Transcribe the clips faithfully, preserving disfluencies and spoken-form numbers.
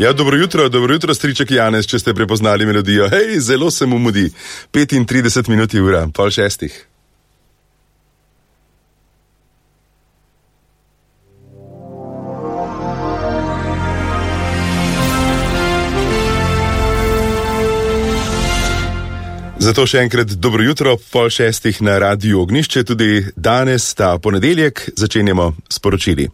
Ja, dobro jutro, dobro jutro, striček Janez, če ste prepoznali melodijo. Hej, zelo se mu mudi. petintrideset minut je ura, pol šestih. Zato še enkrat dobro jutro, pol šestih na Radiu Ognjišče, tudi danes, ta ponedeljek, začenjamo s poročili.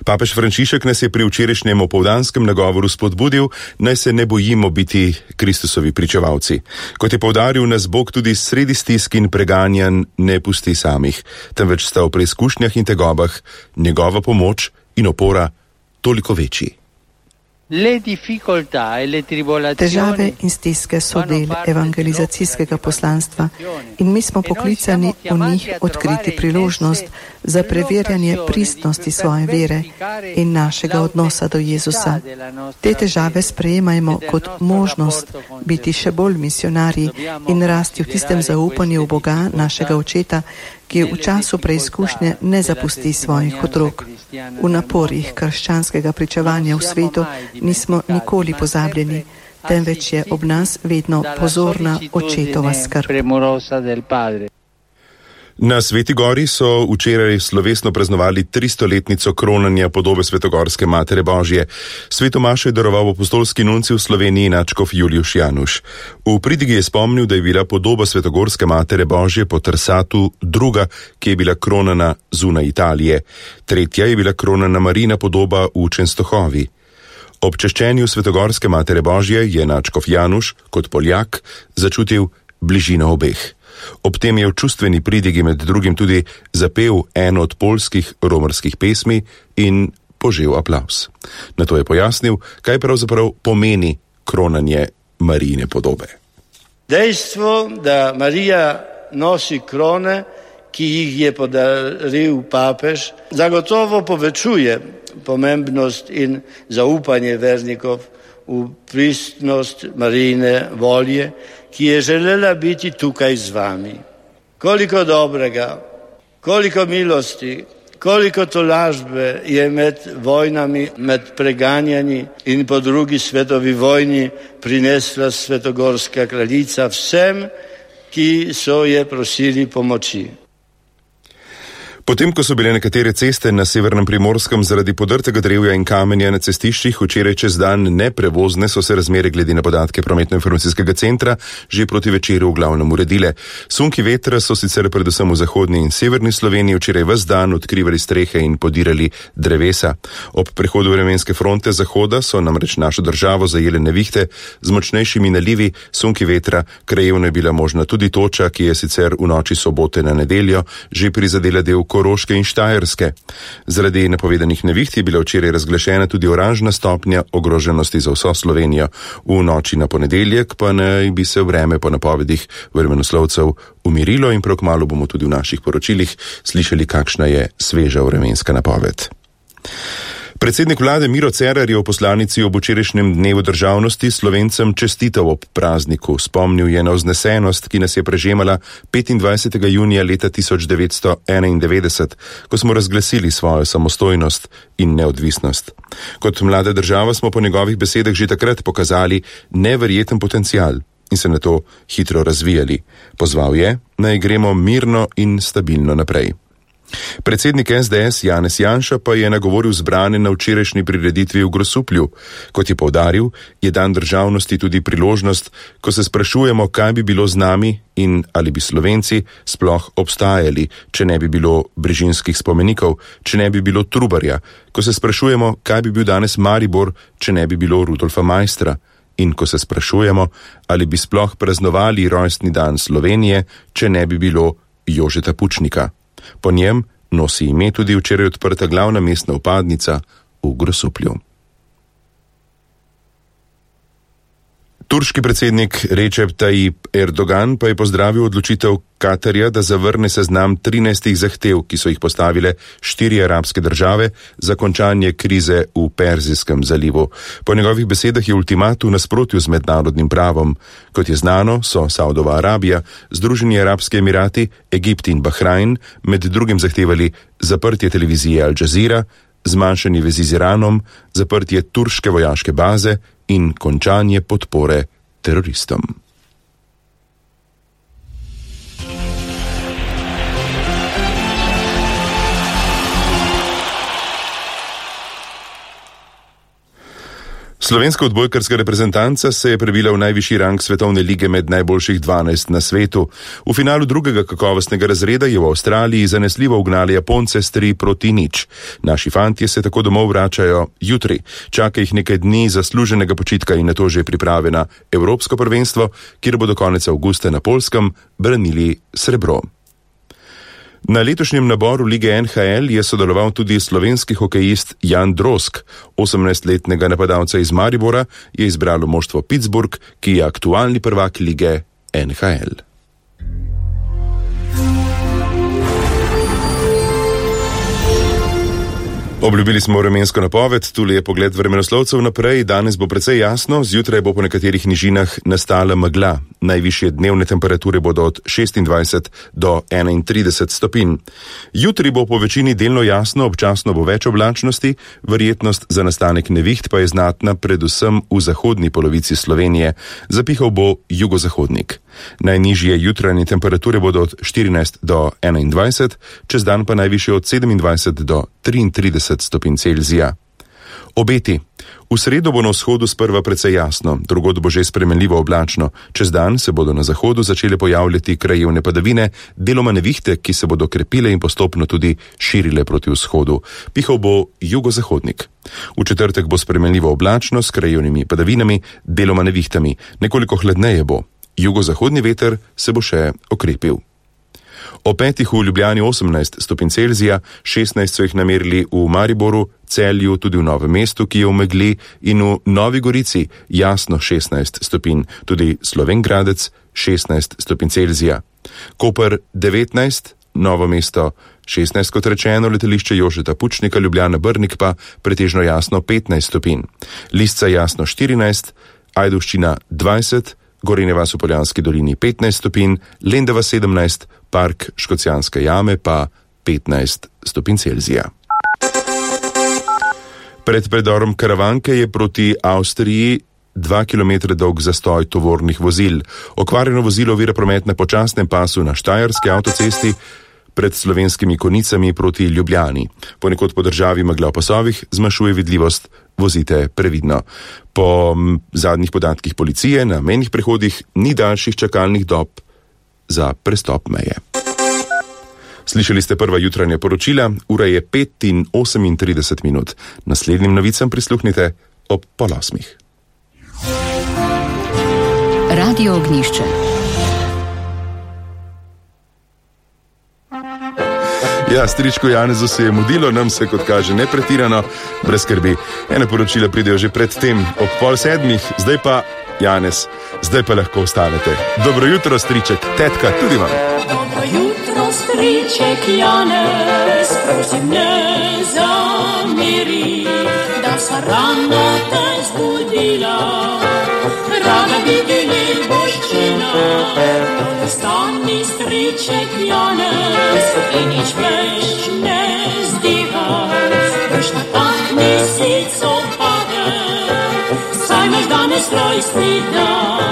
Papež Frančišek nas je pri včerajšnjem opoldanskem nagovoru spodbudil, naj se ne bojimo biti Kristusovi pričevalci. Kot je poudaril, nas Bog tudi sredi stisk in preganjanj ne pusti samih, temveč sta v preizkušnjah in tegobah njegova pomoč in opora toliko večji. Težave in stiske so del evangelizacijskega poslanstva in mi smo poklicani v njih odkriti priložnost za preverjanje pristnosti svoje vere in našega odnosa do Jezusa. Te težave sprejemajmo kot možnost biti še bolj misionarji in rasti v tistem zaupanju v Boga, našega Očeta, ki v času preizkušnje ne zapusti svojih otrok. V naporih krščanskega pričevanja v svetu nismo nikoli pozabljeni, temveč je ob nas vedno pozorna Očetova skrb. Na Sveti Gori so včeraj slovesno praznovali tristoletnico kronanja podobe Svetogorske Matere Božje. Sveto mašo je daroval apostolski nuncij v Sloveniji nadškof Juliuš Januš. V pridigi je spomnil, da je bila podoba Svetogorske Matere Božje po Trsatu druga, ki je bila kronana zunaj Italije. Tretja je bila kronana Marijina podoba v Čenstohovi. Ob češčenju Svetogorske Matere Božje je nadškof Januš, kot Poljak, začutil bližino obeh. Ob tem je v čustveni pridigi med drugim tudi zapel eno od poljskih romarskih pesmi in požel aplavz. Nato je pojasnil, kaj pravzaprav pomeni kronanje Marijine podobe. Dejstvo, da Marija nosi krone, ki jih je podaril papež, zagotovo povečuje pomembnost in zaupanje vernikov v pristnost Marijine volje, ki je želela biti tukaj z vami. Koliko dobrega, koliko milosti, koliko tolažbe je med vojnami, med preganjanji in po drugi svetovi vojni prinesla Svetogorska kraljica vsem, ki so je prosili pomoči. Potem, ko so bile nekatere ceste na severnem Primorskem zaradi podrtega drevja in kamenja na cestiščih včeraj čez dan neprevozne, so se razmere glede na podatke prometno-informacijskega centra že proti večeru v glavnem uredile. Sunki vetra so sicer predvsem v zahodni in severni Sloveniji včeraj ves dan odkrivali strehe in podirali drevesa. Ob prehodu vremenske fronte zahoda so namreč našo državo zajele nevihte z močnejšimi nalivi sunki vetra. Krajevno je bila možna tudi toča, ki je sicer v noči sobote na nedeljo že prizadela del Koroške in Štajerske. Zaradi napovedanih neviht je bila včeraj razglašena tudi oranžna stopnja ogroženosti za vso Slovenijo. V noči na ponedeljek pa naj bi se vreme po napovedih vremenoslovcev umirilo in prav kmalu bomo tudi v naših poročilih slišali, kakšna je sveža vremenska napoved. Predsednik vlade Miro Cerar je v poslanici ob včerajšnjem dnevu državnosti Slovencem čestital ob prazniku. Spomnil je na vznesenost, ki nas je prežemala petindvajsetega junija leta tisoč devetsto enaindevetdeset, ko smo razglasili svojo samostojnost in neodvisnost. Kot mlada država smo po njegovih besedah že takrat pokazali neverjeten potencial in se na to hitro razvijali. Pozval je, naj gremo mirno in stabilno naprej. Predsednik es de es Janez Janša pa je nagovoril zbrane na včerajšnji prireditvi v Grosuplju. Kot je poudaril, je dan državnosti tudi priložnost, ko se sprašujemo, kaj bi bilo z nami in ali bi Slovenci sploh obstajali, če ne bi bilo brežinskih spomenikov, če ne bi bilo Trubarja, ko se sprašujemo, kaj bi bil danes Maribor, če ne bi bilo Rudolfa Maistra, in ko se sprašujemo, ali bi sploh praznovali rojstni dan Slovenije, če ne bi bilo Jožeta Pučnika. Po njem nosi ime tudi včeraj odprta glavna mestna vpadnica v Grosuplju. Turški predsednik Recep Tayyip Erdogan pa je pozdravil odločitev Katarja, da zavrne seznam trinajstih zahtev, ki so jih postavile štiri arabske države za končanje krize v Perzijskem zalivu. Po njegovih besedah je ultimat v nasprotju z mednarodnim pravom. Kot je znano, so Saudova Arabija, Združeni arabski emirati, Egipt in Bahrajn med drugim zahtevali zaprtje televizije Al Jazeera, zmanjšanje vezi z Iranom, zaprtje turške vojaške baze in končanje podpore teroristom. Slovenska odbojkarska reprezentanca se je prebila v najvišji rang svetovne lige med najboljših dvanajst na svetu. V finalu drugega kakovostnega razreda je v Avstraliji zanesljivo ugnali Japonce s tri proti nič. Naši fantje se tako domov vračajo jutri. Čaka jih nekaj dni zasluženega počitka in nato že priprave na Evropsko prvenstvo, kjer bodo konec avgusta na Poljskem branili srebro. Na letošnjem naboru lige N H L je sodeloval tudi slovenski hokejist Jan Drozg. osemnajstletnega napadalca iz Maribora je izbralo moštvo Pittsburgh, ki je aktualni prvak lige N H L. Obljubili smo vremensko napoved, tule je pogled vremenoslovcev naprej, danes bo precej jasno, zjutraj bo po nekaterih nižinah nastala megla. Najvišje dnevne temperature bodo od šestindvajset do enaintrideset stopinj. Jutri bo po večini delno jasno, občasno bo več oblačnosti, verjetnost za nastanek neviht pa je znatna predvsem v zahodni polovici Slovenije. Zapihal bo jugozahodnik. Najnižje jutranje temperature bodo od štirinajst do enaindvajset, čez dan pa najvišje od sedemindvajset do triintrideset stopinj Celzija. Obeti. V sredo bo na vzhodu sprva precej jasno, drugod bo že spremenljivo oblačno. Čez dan se bodo na zahodu začele pojavljati krajevne padavine, deloma nevihte, ki se bodo krepile in postopno tudi širile proti vzhodu. Pihal bo jugozahodnik. V četrtek bo spremenljivo oblačno s krajevnimi padavinami, deloma nevihtami. Nekoliko hladneje bo. Jugozahodni veter se bo še okrepil. O petih v Ljubljani osemnajst stopinj Celzija, šestnajst so jih namerili v Mariboru, Celju, tudi v Novem mestu, ki je v megli, in v Novi Gorici jasno šestnajst stopinj, tudi Slovenj Gradec šestnajst stopinj Celzija. Koper devetnajst, Novo mesto šestnajst, kot rečeno, letališče Jožeta Pučnika, Ljubljana Brnik pa pretežno jasno petnajst stopinj. Lisca jasno štirinajst, Ajdovščina dvajset, Gorenja vas v Poljanski dolini petnajst stopinj, Lendava sedemnajst, Park Škocjanske jame pa petnajst stopinj Celzija. Pred predorom Karavanke je proti Avstriji dva kilometra dolg zastoj tovornih vozil. Okvarjeno vozilo ovira promet na počasnem pasu na Štajerski avtocesti pred Slovenskimi Konicami proti Ljubljani. Ponekod po državi megla v pasovih zmanjšuje vidljivost, vozite previdno. Po m, zadnjih podatkih policije na mejnih prehodih ni daljših čakalnih dob za prestop meje. Slišali ste prva jutranja poročila, ura je pet in osemintrideset minut. Naslednjim novicam prisluhnite ob pol osmih. Radio Ognjišče. Ja, stričku Janezu se je mudilo, nam se, kot kaže, ne pretirano, brez skrbi. Ene poročila pridejo že pred tem ob pol sedmih, zdaj pa, Janez, zdaj pa lahko ostanete. Dobro jutro, striček, tetka, tudi vam. Dobro jutro, striček Janez, prosim ne zameri, da sa rano te zbudila, rada bi bili boščina. Ostani, striček Janez, in nič več ne zdihaj, boš natakni sico pade, saj imaš danes rojstni dan.